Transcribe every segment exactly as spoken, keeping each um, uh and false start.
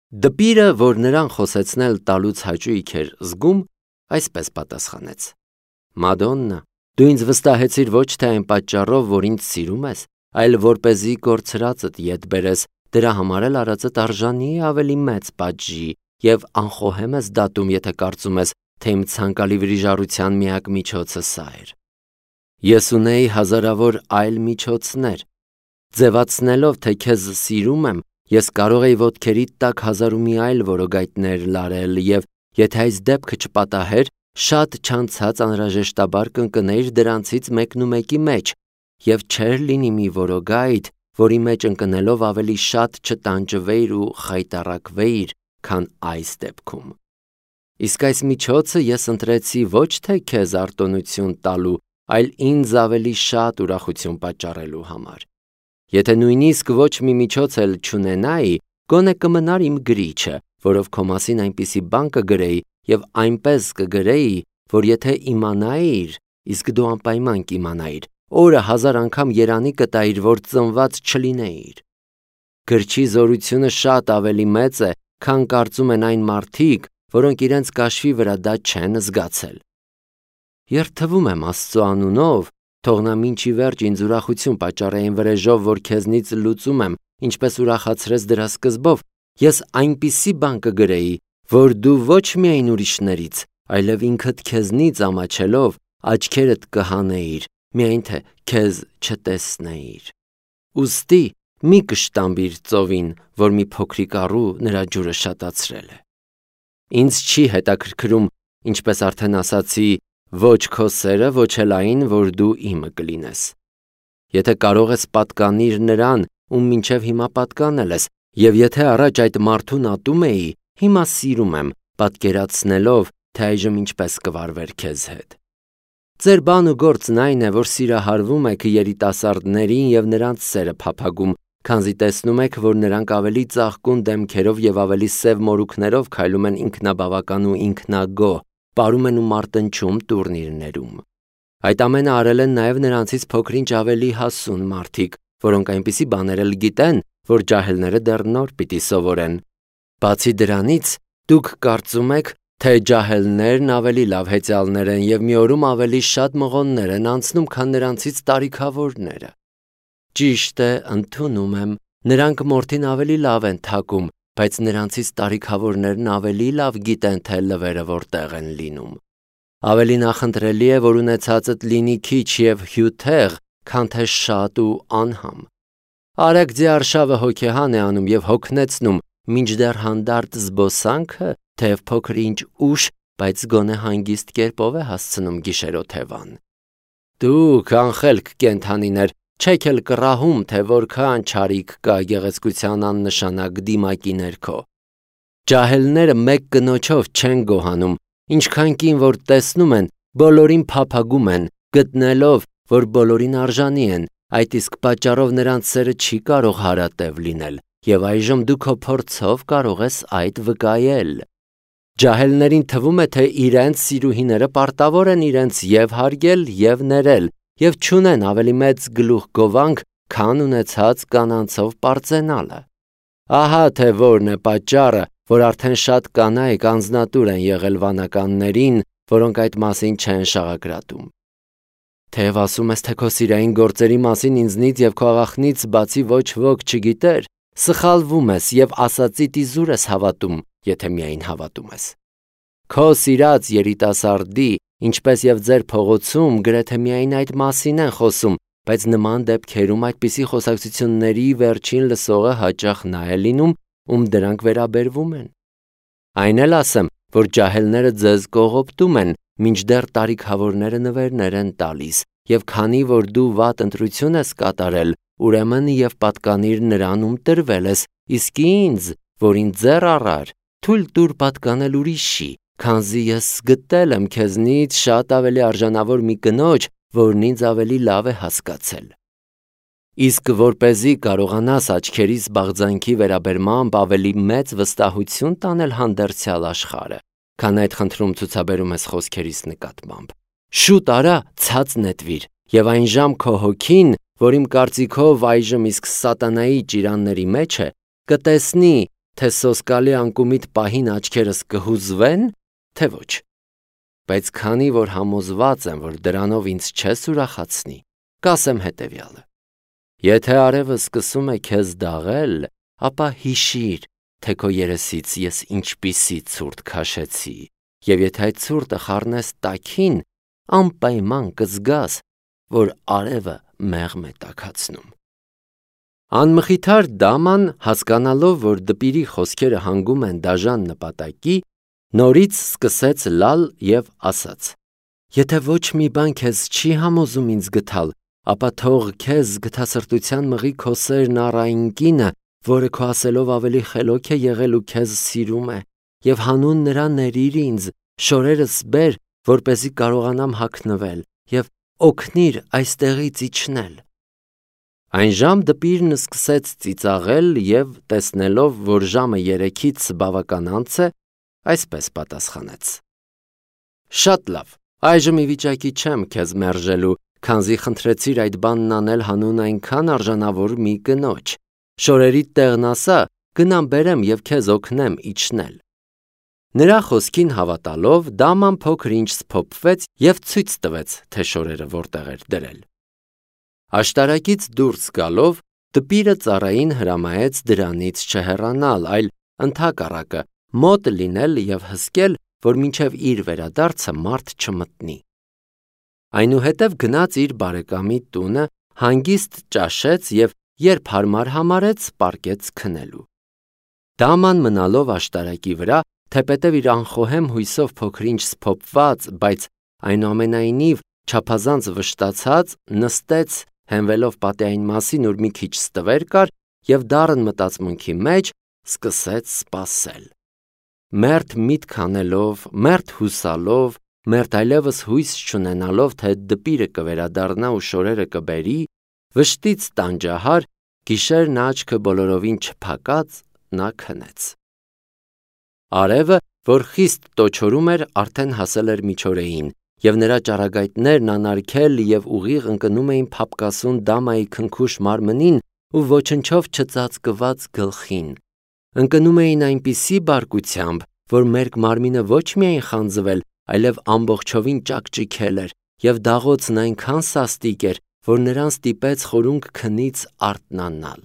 Դպիրը, որ նրան խոսեցնել տալուց հաճույք էր զգում, այսպես պատասխանեց. Մադոննա, դու ինձ վստահեցիր ոչ թե այն պատճառով, որ ինձ սիրում ես, այլ որպեսզի կորցրածդ ետ բերես, դրա համար էլ արածդ արժանի է ավելի մեծ պատժի և անխոհեմ ես դատում, եթե կարծում ես, թե իմ ցանկալի վրիժառության միակ միջոցը սա էր։ Ես ունեի հազարավոր այլ միջոցներ։ Ձևացնելով, թե քեզ սիրում եմ, ես կարող էի ոտքերիդ տակ հազար ու մի այլ որոգայթներ լարել և եթե այս դեպքը չպատահեր, շատ չանցած անհրաժեշտաբար կընկնեիր դրանցից մեկնումեկի մեջ և չէր լինի մի որոգայթ, որի մեջ ընկնելով ավելի շատ չտանջվեիր ու խայտառակվեիր, քան այս դեպքում։ Իսկ այս միջոցը ես ընտրեցի ոչ թե քեզ արտոնություն տալու, այլ ինձ ավելի շատ ուրախություն պատճառելու համար։ Եթե նույնիսկ ոչ մի միջոց էլ չունենայի, գոնե կմնար իմ գրիչը, որով քո մասին այնպիսի բան կգրեի և այնպես կգրեի, որ եթե իմանայիր, իսկ դու անպայման կիմանայիր, օրը հազար անգամ երանի կտայիր, որ ծնված չլինեիր։ Գրչի զորությունը շատ ավելի մեծ է, քան կարծում են այն մարդիկ, որոնք իրենց կաշվի վրա դա չեն զգացել։ Երդվում եմ Աստծո անունով, թող նա մինչ ի վերջ ինձ ուրախություն պատճառի այն վրեժով, որ քեզնից լուծում եմ, ինչպես ուրախացրես դրա սկզբով, ես այնպիսի բան կգրեի, որ դու ոչ միայն ուրիշներից, այլև ինքդ քեզնից ամաչելով աչքերդ կհանեիր, միայն թե քեզ չտեսնեիր։ Ուստի մի կշտամբիր ծովին, որ մի փոքրիկ առու նրա ջուրը շատացրել է։ Ինձ չի հետաքրքրում, ինչպես արդեն ասացի, ոչ քո սերը, ոչ էլ այն, որ դու իմը կլինես։ Եթե կարող ես պատկանիր նրան, ում մինչև հիմա պատկանել ես, և եթե առաջ այդ մարդուն ատում էի, հիմա սիրում եմ, պատկերացնելով, թե այժմ ինչպես կվարվեր քեզ հետ։ Ձեր բան ու գործն այն է, որ սիրահարվում եք երիտասարդներին և նրանց սերը փափագում, քանզի տեսնում եք, որ նրանք ավելի ծաղկուն դեմքերով և ավելի սև մորուքներով քայլում են ինքնաբավական ու ինքնագոհ, պարում են ու մարտնչում տուրնիրներում։ Այդ ամենը արել են նաև նրանցից փոքր-ինչ ավելի հասուն մարդիկ, որոնք այնպիսի բաներ էլ գիտեն, որ ջահելները դեռ նոր պիտի սովորեն։ Բացի դրանից, դուք կարծում եք, թե ջահելներն ավելի լավ հեծյալներ են և մի օրում ավելի շատ մղոններ են անցնում, քան նրանցից տարիքավորները։ Ճիշտ է, ընդունում եմ, նրանք մորթին ավելի լավ են թակում, բայց նրանցից տարիքավորներն ավելի լավ գիտեն, թե լվերը որտեղ են լինում։ Ավելի նախընտրելի է, որ ունեցածդ լինի քիչ և հյութեղ, քան թե շատ ու անհամ։ Արագ ձիարշավը հոգեհան է անում և հոգնեցնում, մինչդեռ հանդարտ զբոսանքը, թեև փոքր-ինչ ուշ, բայց գոնե հանգիստ կերպով է հասցնում գիշերօթևան։ Դուք անխելք կենդանիներ, չեք էլ կռահում, թե որքան չարիք կա գեղեցկության աննշանակ դիմակի ներքո։ Ջահելները մեկ կնոջով չեն գոհանում, ինչքան կին որ տեսնում են, բոլորին փափագում են, գտնելով, որ բոլորին արժանի են, այդ իսկ պատճառով նրանց սերը չի կարող հարատև լինել, և այժմ դու քո փորձով կարող ես այդ վկայել։ Ջահելներին թվում է, թե իրենց սիրուհիները պարտավոր են իրենց և հարգել, և ներել, և չունեն ավելի մեծ գլուխգովանք, քան ունեցած կանանցով պարծենալը։ Ահա թե որն է պատճառը, որ արդեն շատ կանայք անձնատուր են եղել վանականներին, որոնք այդ մասին չեն շաղակրատում։ Թեև ասում ես, թե քո սիրային գործերի մասին ինձնից և քո աղախնից բացի ոչ ոք չգիտեր, սխալվում ես և ասածիդ իզուր ես հավատում, եթե միայն հավատում ես։ Քո սիրած երիտասարդի, ինչպես և ձեր փողոցում, գրեթե միայն այդ մասին են խոսում, բայց նման դեպքերում այդպիսի խոսակցությունների վերջին լսողը հաճախ նա է լինում, ում դրանք վերաբերվում են։ Այն էլ ասեմ, որ ջահելները ձեզ կողոպտում են, մինչդեռ տարիքավորները նվերներ են տալիս, և քանի որ դու վատ ընտրություն ես կատարել, ուրեմն և պատկանիր նրան, ում տրվել ես, իսկ ինձ, որ ինձ ձեռ առար, թույլ տուր պատկանել ուրիշի, քանզի ես գտել եմ քեզնից շատ ավելի արժանավոր մի կնոջ, որն ինձ ավելի լավ է հասկացել։ Իսկ որպեսզի կարողանաս աչքերիս բաղձանքի վերաբերմամբ ավելի մեծ վստահություն տանել հանդերձյալ աշխարհը, քան այդ խնդրում ցուցաբերում ես խոսքերիս նկատմամբ, շուտ արա ցած նետվիր, և այն ժամ քո հոգին, որ իմ կարծիքով այժմ իսկ սատանայի ճիրանների մեջ է, կտեսնի, թե սոսկալի անկումիդ պահին աչքերս կհուզվեն, թե ոչ։ Բայց քանի որ համոզված եմ, որ դրանով ինձ չես ուրախացնի, կասեմ հետևյալը. եթե արևը սկսում է քեզ դաղել, ապա հիշիր, թե քո երեսից ես ինչպիսի ցուրտ քաշեցի, եւ եթե այդ ցուրտը խառնես տաքին, անպայման կզգաս, որ արևը մեղմ է տաքացնում։ Անմխիթար դաման, հասկանալով, որ դպիրի խոսքերը հանգում են դաժան նպատակի, նորից սկսեց լալ եւ ասաց. Եթե ոչ մի բան քեզ չի համոզում ինձ գթալ, ապա թող քեզ գթասրտության մղի քո սերն առ այն կինը, որը քո ասելով ավելի խելոք է եղել ու քեզ սիրում է, եւ հանուն նրա ներիր ինձ, շորերս բեր, որպեսզի կարողանամ հագնվել, եւ օգնիր այստեղից իջնել։ Այն ժամ դպիրն սկսեց ծիծաղել եւ տեսնելով, որ ժամը երեքից բավական անց է, այսպես պատասխանեց. Շատ լավ, այժմ ի վիճակի չեմ քեզ մերժելու, քանզի խնդրեցիր այդ բանն անել հանուն այնքան արժանավոր մի կնոջ։ Շորերիդ տեղն ասա, գնամ բերեմ եւ քեզ օգնեմ իջնել։ Նրա խոսքին հավատալով, դաման փոքր ինչ սփոփվեց եւ ցույց տվեց, թե շորերը որտեղ էր դրել։ Աշտարակից դուրս գալով, դպիրը ծառային հրամայեց դրանից չհեռանալ, այլ ընդհակառակը մոտ լինել եւ հսկել, որ մինչև իր վերադարձը մարդ չմտնի։ Այնուհետև գնաց իր բարեկամի տունը, հանգիստ ճաշեց եւ երբ հարմար համարեց, պառկեց քնելու։ Դաման մնալով աշտարակի վրա, թեպետև իր անխոհեմ հույսով փոքրինչ սփոփված, բայց այնուամենայնիվ չափազանց վշտացած, նստեց, հենվելով պատի այն մասին, որ մի քիչ ստվեր կար, եւ դառն մտածմունքի մեջ սկսեց սպասել։ Մերթ միտք անելով, մերթ հուսալով, մերթ այլևս հույս չունենալով, թե դպիրը կվերադառնա ու շորերը կբերի, վշտից տանջահար, գիշերն աչքը բոլորովին չփակած, նա քնեց։ Արևը, որ խիստ տոչորում էր, արդեն հասել էր միջօրեին, եւ նրա ճառագայթներն անարգել եւ ուղիղ ընկնում էին փափկասուն դամայի քնքուշ մարմնին ու ոչնչով չծածկված գլխին։ Ընկնում էին այնպիսի բարկությամբ, որ մերկ մարմինը ոչ միայն խանձվել, այլև ամբողջովին ճաքճիքել էր, եւ դաղոցն այնքան սաստիկ էր, որ նրան ստիպեց խորունկ քնից արթնանալ։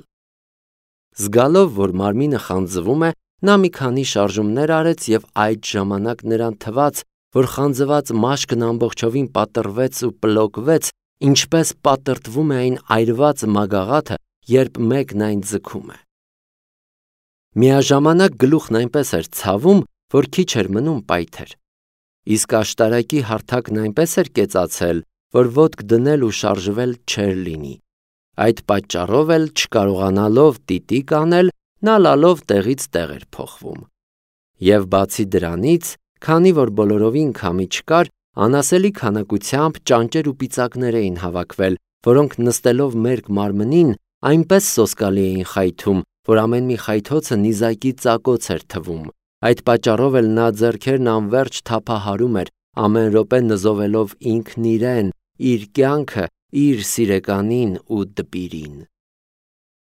Զգալով, որ մարմինը խանձվում է, նա մի քանի շարժումներ արեց եւ այդ ժամանակ նրան թվաց, որ խանձված մաշկն ամբողջովին պատռվեց ու պլոկվեց, ինչպես պատրտվում է այն այրված մագաղաթը, երբ մեկն այն ձգում է։ Միաժամանակ գլուխն այնպես էր ցավում, որ քիչ էր մնում պայթեր։ Իսկ աշտարակի հարթակն այնպես էր կեցացել, որ ոտք դնել ու շարժվել չէր լինի։ Այդ պատճառով էլ չկարողանալով տիտիկ անել, նա լալով տեղից տեղ էր փոխվում։ Եվ բացի դրանից, քանի որ բոլորովին քամի չկար, անասելի քանակությամբ ճանճեր ու պիծակներ էին հավաքվել, որոնք նստելով մերկ մարմնին այնպես սոսկալի էին խայթում, որ ամեն մի խայթոցը նիզակի ծակոց էր թվում։ Այդ պատճառով էլ նա ձեռքերն անվերջ թափահարում էր, ամեն րոպե նզովելով ինքն իրեն, իր կյանքը, իր սիրեկանին ու դպիրին։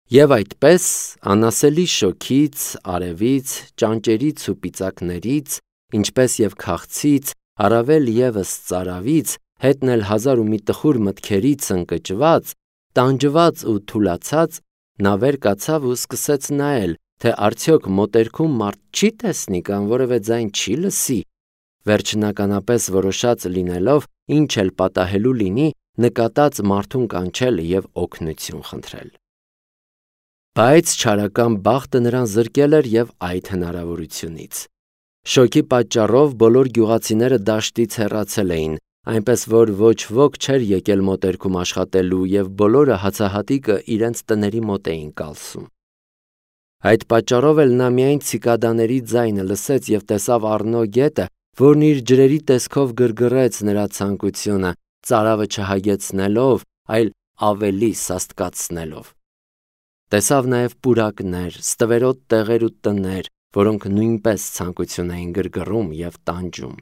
Եվ այդպես, անասելի շոքից, արևից, ճանճերից ու պիծակներից, ինչպես եւ քաղցից, առավել եւս ծարավից, հետն էլ հազար ու մի տխուր մտքերից ընկճված, տանջված ու թուլացած, նա վեր կացավ ու սկսեց նայել, թե արդյոք մոտերքում մարդ չի տեսնի կամ որևէ ձայն չի լսի, վերջնականապես որոշած լինելով, ինչ էլ պատահելու լինի, նկատած մարդուն կանչել եւ օգնություն խնդրել։ Բայց չարական բախտը նրան զրկել էր եւ այդ հնարավորությունից։ Շոկի պատճառով բոլոր գյուղացիները դաշտից հեռացել էին, այնպես որ ոչ ոք չէր եկել մոտերքում աշխատելու եւ բոլորը հացահատիկը իրենց տների մոտ էին կալսում։ Այդ պատճառով էլ նա միայն ցիկադաների ձայնը լսեց եւ տեսավ Առնո գետը, որն իր ջրերի տեսքով գրգռեց նրա ցանկությունը, ծարավը չհագեցնելով, այլ ավելի սաստկացնելով։ Տեսավ նաև պուրակներ, ստվերոտ տեղեր ու տներ, որոնք նույնպես ցանկություն էին գրգռում եւ տանջում։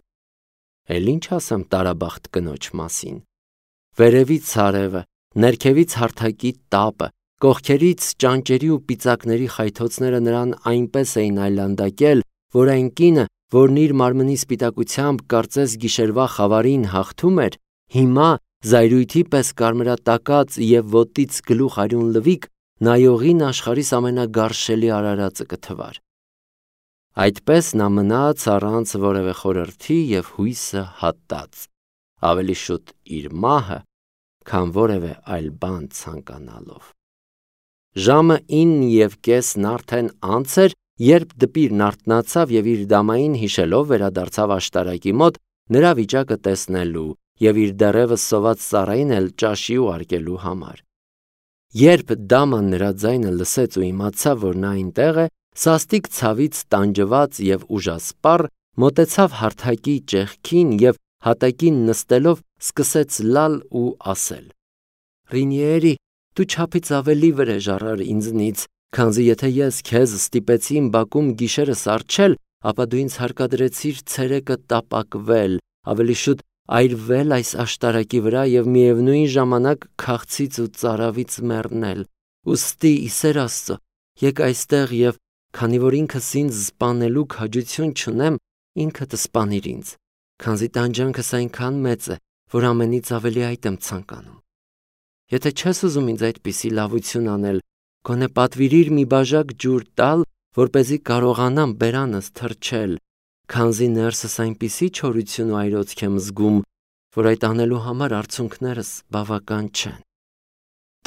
Էլ ինչ ասեմ տարաբախտ կնոջ մասին։ Վերևից արևը, ներքևից հարթակի տապը, Կողքերից ճանճերի ու պիծակների խայթոցները նրան այնպես էին այլանդակել, որ այն կինը, որն իր մարմնի սպիտակությամբ կարծես գիշերվա խավարին հաղթում էր, հիմա զայրույթի պես կարմրատակած և ոտից գլուխ արյուն լվիկ, նայողին աշխարհիս ամենագարշելի արարածը կթվար։ Այդպես նա մնաց առանց որևէ խորհրդի և հույսը հատած, ավելի շուտ իր մահը, քան որևէ այլ բան ցանկանալով։ Ժամը ինը և կեսն արդեն անց էր, երբ դպիրն արթնացավ և իր դամային հիշելով վերադարձավ աշտարակի մոտ նրա վիճակը տեսնելու և իր դեռևս սոված ծառային էլ ճաշի ուղարկելու համար։ Երբ դաման նրա ձայնը լսեց ու իմացավ, որ նա այնտեղ է, սաստիկ ցավից տանջված և ուժասպառ մոտեցավ հարթակի ճեղքին և հատակին նստելով սկսեց լալ ու ասել. «Ռինիերի, դու չափից ավելի վրեժ առար ինձնից, քանզի եթե ես քեզ ստիպեցի իմ բակում գիշերս առջել, ապա դու ինձ հարկադրեցիր ցերեկը տապակվել, ավելի շուտ այրվել այս աշտարակի վրա և միևնույն ժամանակ քաղցից ու ծարավից մեռնել։ Ուստի, ի սեր Աստծո, եկ այստեղ և, քանի որ ինքս ինձ սպանելու քաջություն չունեմ, ինքդ սպանիր ինձ, քանզի տանջանքս այնքան մեծ է, որ ամենից ավելի այդ եմ ցանկանում։ Եթե չես ուզում ինձ այդպիսի լավություն անել, գոնե պատվիրիր մի բաժակ ջուր տալ, որպեսզի կարողանամ բերանս թրջել, քանզի ներսս այնպիսի չորություն ու այրոցք եմ զգում, որ այդ անելու համար արցունքներս բավական չեն»։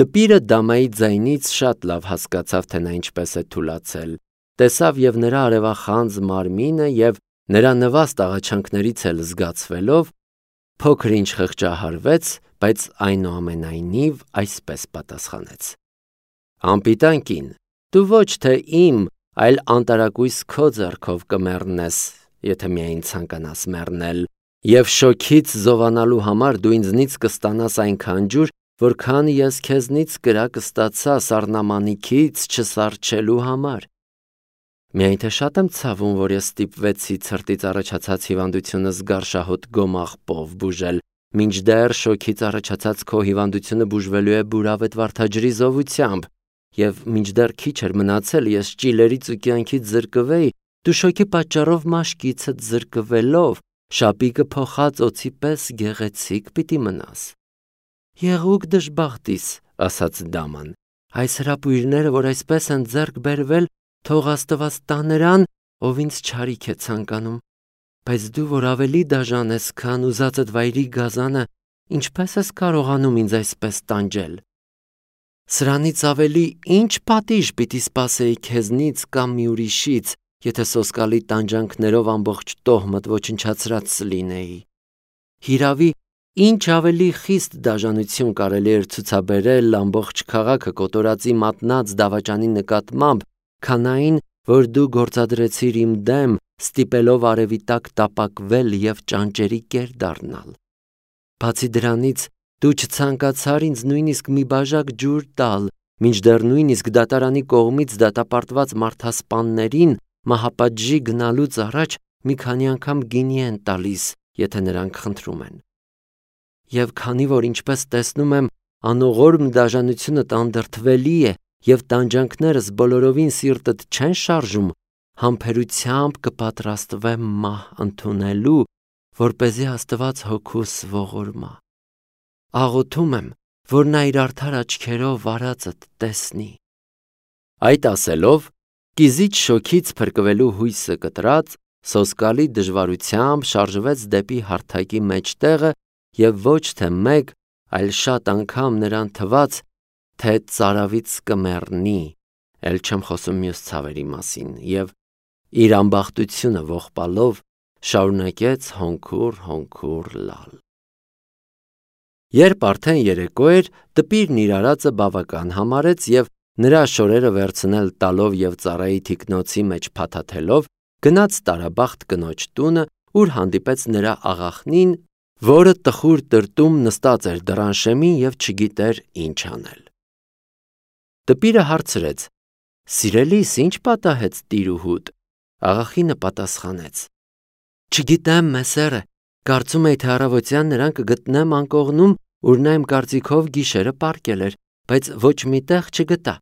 Դպիրը դամայի ձայնից շատ լավ հասկացավ, թե նա ինչպես է թուլացել, տեսավ և նրա արևախանձ մարմինը և նրա նվաստ աղաչանքներից էլ զգացվելով, փոքր-ինչ խղճահարվեց, բայց այնուամենայնիվ այսպես պատասխանեց. «Անպիտան կին, դու ոչ թե իմ, այլ անտարակույս քո ձեռքով կմեռնես, եթե միայն ցանկանաս մեռնել, և շոգից զովանալու համար դու ինձնից կստանաս այնքան ջուր, որքան ես քեզնից կրակ ստացա սառնամանիքից չսառչելու համար։ Միայն թե շատ եմ ցավում, որ ես ստիպվեցի ցրտից առաջացած հիվանդությունս գարշահոտ գոմաղբով բուժել, մինչդեռ շոգից առաջացած քո հիվանդությունը բուժվելու է բուրավետ վարդաջրի զովությամբ, և մինչդեռ քիչ էր մնացել ես ճիլերից ու կյանքից զրկվեի, դու շոգի պատճառով մաշկիցդ զրկվելով շապիկը փոխած օձի պես գեղեցիկ պիտի մնաս»։ «Եղուկ դժբախտիս», ասաց դաման, «այս հրապույրները, որ այսպես են ձեռք բերվել, թող Աստված տա նրան, ով ինձ չարիք է ցանկանում, բայց դու, որ ավելի դաժան ես, քան ուզածդ վայրի գազանը, ինչպե՞ս ես կարողանում ինձ այսպես տանջել։ Սրանից ավելի ի՞նչ պատիժ պիտի սպասեի քեզնից կամ մի ուրիշից, եթե սոսկալի տանջանքներով ամբողջ տոհմդ ոչնչացրած լինեի։ Հիրավի, ինչ ավելի խիստ դաժանություն կարելի էր ցուցաբերել ամբողջ քաղաքը կոտորածի մատնած դավաճանի նկատմամբ, քան այն, որ դու գործադրեցիր իմ դեմ, ստիպելով արևի տակ տապակվել և ճանճերի կեր դառնալ։ Բացի դրանից, դու չցանկացար ինձ նույնիսկ մի բաժակ ջուր տալ, մինչդեռ նույնիսկ դատարանի կողմից դատապարտված մարդասպաններին մահապատժի գնալուց առաջ մի քանի անգամ գինի են տալիս, եթե նրանք խնդրում են։ Եվ քանի որ, ինչպես տեսնում եմ, անողորմ դաժանությունդ անդրդվելի է և տանջանքներս բոլորովին սիրտդ չեն շարժում, համբերությամբ կպատրաստվեմ մահ ընդունելու, որպեսզի Աստված հոգուս ողորմա։ Աղոթում եմ, որ նա իր արդար աչքերով արածդ տեսնի»։ Այդ ասելով, կիզիչ շոգից փրկվելու հույսը կտրած, սոսկալի դժվարությամբ շարժվեց դեպի հարթակի մեջտեղը և ոչ թե մեկ, այլ շատ անգամ նրան թվաց, թե ծարավից կմեռնի, էլ չեմ խոսում մյուս ցավերի մասին, և իր ամբախտությունը ողբալով շարունակեց հոնքուր-հոնքուր լալ։ Երբ արդեն երեկո էր, դպիրն իր արածը բավական համարեց և նրա շորերը վերցնել տալով և ծառայի թիկնոցի մեջ փաթաթելով, գնաց տարաբախտ կնոջ տունը, ուր հանդիպեց նրա աղախնին, որը տխուր տրտում նստած էր դռան շեմին և չգիտեր ինչ անել։ Դպիրը հարցրեց. «Սիրելիս, ի՞նչ պատահեց տիրուհուդ»։ Աղախինը պատասխանեց. «Չգիտեմ, մեսերը, կարծում էի, թե առավոտյան նրան կգտնեմ անկողնում, ուր նա իմ կարծիքով գիշերը պառկել էր, բայց ոչ մի տեղ չգտա։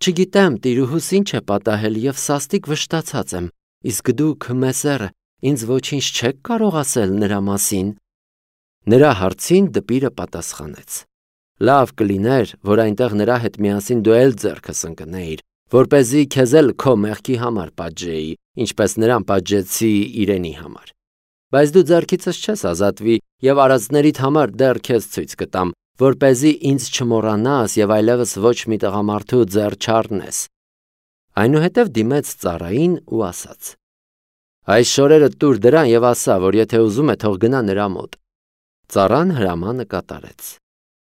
Չգիտեմ տիրուհուս ինչ է պատահել եւ սաստիկ վշտացած եմ, իսկ դուք մեսերը ինձ ոչինչ չեք կարող ասել նրա մասին։ Նրա հարցին դպիրը պատասխանեց. Լավ կլիներ, որ այնտեղ նրա հետ միասին դու էլ ձեռքս ընկնեիր, որպեսզի քեզ էլ քո մեղքի համար պատժեի, ինչպես նրան պատժեցի իրենի համար։ Բայց դու ձեռքիցս չես ազատվի եւ արածներիդ համար դեռ քեզ ցույց կտամ, որպեսզի ինձ չմոռանաս եւ այլևս ոչ մի տղամարդու ձեռ չառնես։ Այնուհետև դիմեց ծառային ու ասաց. Այս շորերը տուր դրան եւ ասա, որ եթե ուզում է թող գնա նրա մոտ։ Ծառան հրամանը կատարեց։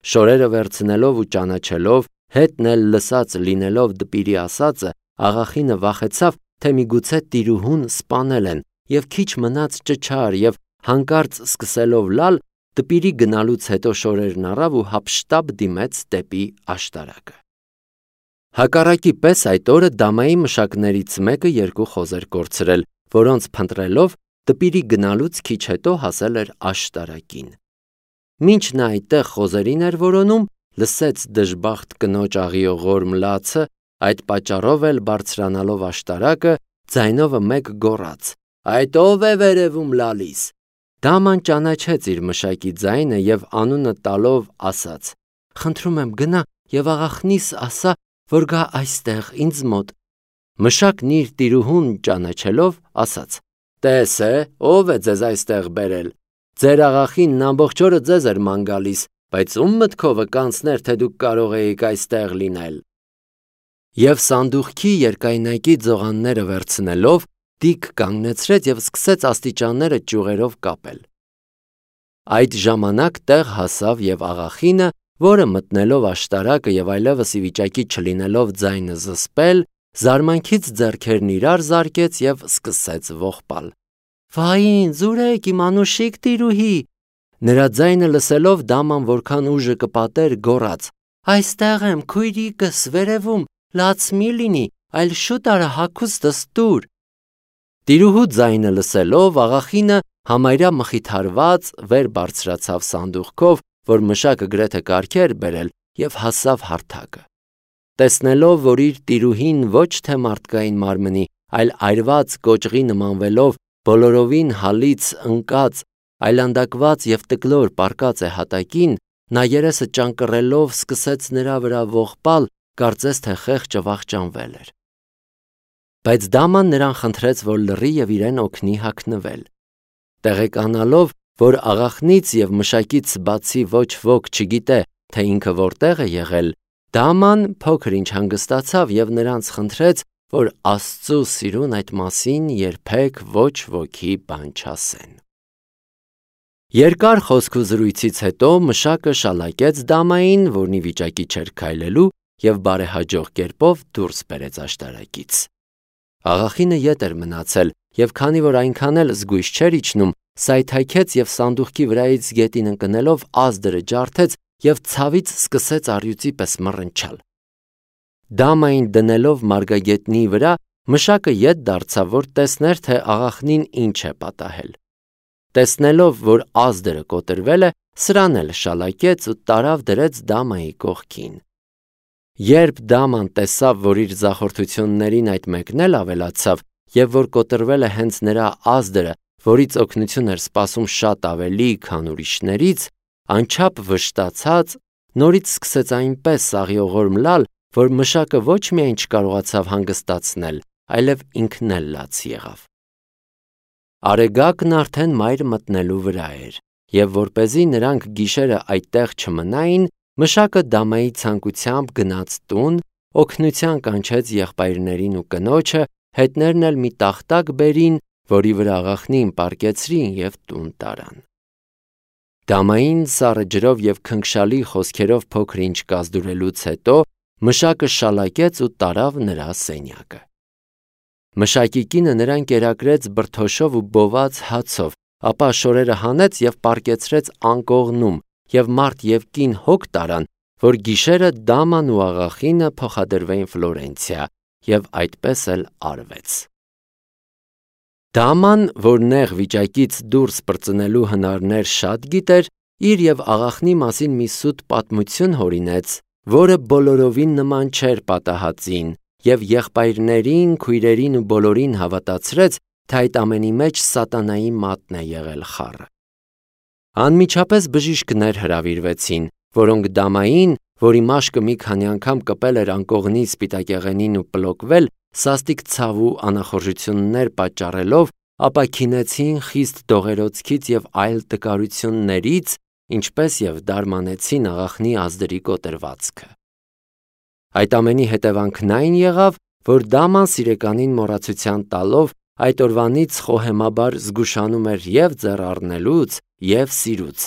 Շորերը վերցնելով ու ճանաչելով, հետն էլ լսած լինելով դպիրի ասածը, աղախինը վախեցավ, թե միգուցե տիրուհուն սպանել են, եւ քիչ մնաց ճչար եւ հանկարծ սկսելով լալ, դպիրի գնալուց հետո շորերն առավ ու հափշտապ դիմեց դեպի աշտարակը։ Հակառակի պես այդ օրը դամայի մշակներից մեկը երկու խոզ էր կորցրել, որոնց փնտրելով դպիրի գնալուց քիչ հետո հասել էր աշտարակին։ Մինչ նա այդտեղ խոզերին էր որոնում, լսեց դժբախտ կնոջ աղիողոր մլացը, այդ պատճառով էլ բարձրանալով աշտարակը, ձայնովը մեկ գոռաց. Այդ ով է վերևում լալիս։ Դաման ճանաչեց իր մշակի ձայնը եւ անունը տալով ասաց. Խնդրում եմ գնա եւ աղախնիս ասա, որ գա այստեղ ինձ մոտ։ Մշակն իր տիրուհուն ճանաչելով ասաց. Տես է, ով է ձեզ այստեղ բերել։ Ձեր աղախինն ամբողջ օրը ձեզ էր ման գալիս, բայց ում մտքովը կանցներ, թե դուք կարող էիք այստեղ լինել։ Եվ սանդուղքի երկայնակի ձողանները վերցնելով, դիկ կանգնեցրեց եւ սկսեց աստիճանները ճյուղերով կապել։ Այդ ժամանակ տեղ հասավ եւ աղախինը, որը մտնելով աշտարակը եւ այլևս ի վիճակի չլինելով ձայնը զսպել, զարմանքից ձեռքերն իրար զարկեց եւ սկսեց ողբալ։ Վային, զուրեք իմ անուշիկ տիրուհի։ Նրա ձայնը լսելով դաման որքան ուժը կպատեր գոռաց. Այստեղ եմ, քույրիկս, վերևում, լաց մի լինի, այլ շուտ արա հագուստս տուր։ Տիրուհու ձայնը լսելով աղախինը համարյա մխիթարված վեր բարձրացավ սանդուղքով, որ մշակը գրեթե կարգ էր բերել եւ հասավ հարթակը։ Տեսնելով, որ իր տիրուհին ոչ թե մարդկային մարմնի, այլ այրված կոճղի նմանվելով բոլորովին հալից ընկած, այլանդակված եւ տկլոր պառկած է հատակին, նա երեսը ճանկռելով սկսեց նրա վրա ողբալ, կարծես թե խեղճը վախճանվել էր։ Բայց դաման նրան խնդրեց, որ լռի եւ իրեն օգնի հագնվել։ Տեղեկանալով, որ աղախնից եւ մշակից բացի ոչ ոք չգիտե, թե ինքը որտեղ է եղել, դաման փոքր ինչ հանգստացավ եւ նրանց խնդրեց, որ Աստծո սիրուն այդ մասին երբեք ոչ ոքի բան չասեն։ Երկար խոսք ու զրույցից հետո մշակը շալակեց դամային, որն ի վիճակի չէր քայլելու, եւ բարեհաջող կերպով դուրս բերեց աշտարակից։ Աղախինը ետ էր մնացել, եւ քանի որ այնքան էլ զգույշ չէր իջնում, սայթայքեց եւ սանդուղքի վրայից գետին ընկնելով ազդրը ջարդեց եւ ցավից սկսեց առյուծի պես մռնչալ։ Դամային դնելով մարգագետնի վրա, մշակը ետ դարձավ, որ տեսներ, թե աղախնին ինչ է պատահել։ Տեսնելով, որ ազդրը կոտրվել է, սրան էլ շալակեց ու տարավ դրեց դամայի կողքին։ Երբ դաման տեսավ, որ իր զախորթություններին այդ մեկն էլ ավելացավ, եւ որ կոտրվել է հենց նրա ազդրը, որից օգնություն էր սպասում շատ ավելի, քան ուրիշներից, անչափ վշտացած, նորից սկսեց այնպես աղիողոր մլալ, որ մշակը ոչ միայն չկարողացավ հանգստացնել, այլև ինքն էլ լաց եղավ։ Արեգակն արդեն մայր մտնելու վրա էր, եւ որպեսզի նրանք գիշերը այդտեղ չմնային, մշակը դամայի ցանկությամբ գնաց տուն, օգնության կանչեց եղբայրներին ու կնոջը, հետներն էլ մի տախտակ բերին, որի վրա աղախնին պառկեցրին եւ տուն տարան։ Դամային սառը ջրով եւ քնքշալի խոսքերով փոքր ինչ կազդուրելուց հետո մշակը շալակեց ու տարավ նրա սենյակը։ Մշակի կինը նրան կերակրեց բրդոշով ու բոված հացով, ապա շորերը հանեց եւ պառկեցրեց անկողնում, եւ մարդ եւ կին հոգ տարան, որ գիշերը դաման ու աղախինը փոխադրվեին Ֆլորենցիա, եւ այդպես էլ արվեց։ Դաման, որ նեղ վիճակից դուրս պրծնելու հնարներ շատ գիտեր, իր եւ աղախնի մասին մի սուտ պատմություն հորինեց, որը բոլորովին նման չէր պատահածին, և եղբայրներին, քույրերին ու բոլորին հավատացրեց, թե այդ ամենի մեջ սատանայի մատն է եղել խառը։ Անմիջապես բժիշկներ հրավիրվեցին, որոնք դամային, որի մաշկը մի քանի անգամ կպել էր անկողնի սպիտակեղենին ու պլոկվել, սաստիկ ցավ ու անախորժություններ պատճառելով, ապաքինեցին խիստ դողերոցքից և այլ տկարություններից, ինչպես և դարմանեցին աղախնի ազդրի կոտրվածքը։ Այդ ամենի հետևանքն այն եղավ, որ դաման սիրեկանին մոռացության տալով, այդ օրվանից խոհեմաբար զգուշանում էր և ձեռ առնելուց, և սիրուց,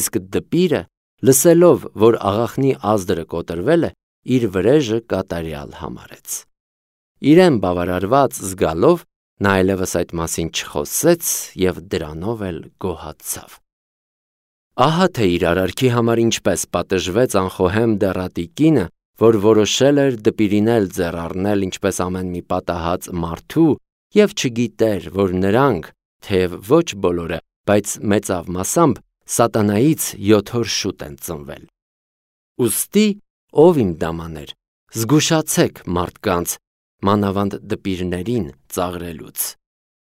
իսկ դպիրը, լսելով, որ աղախնի ազդրը կոտրվել է, իր վրեժը կատարյալ համարեց։ Իրեն բավարարված զգալով, նա այլևս այդ մասին չխոսեց և դրանով էլ գոհացավ։ Ահա թե իր արարքի համար ինչպես պատժվեց անխոհեմ դեռատի կինը, որ որոշել էր դպիրին էլ ձեռ առնել ինչպես ամեն մի պատահած մարդու և չգիտեր, որ նրանք, թեև ոչ բոլորը, բայց մեծավ մասամբ, սատանայից յոթ օր շուտ են ծնվել։ Ուստի, ով իմ դամաներ, զգուշացեք մարդկանց, մանավանդ դպիրներին ծաղրելուց։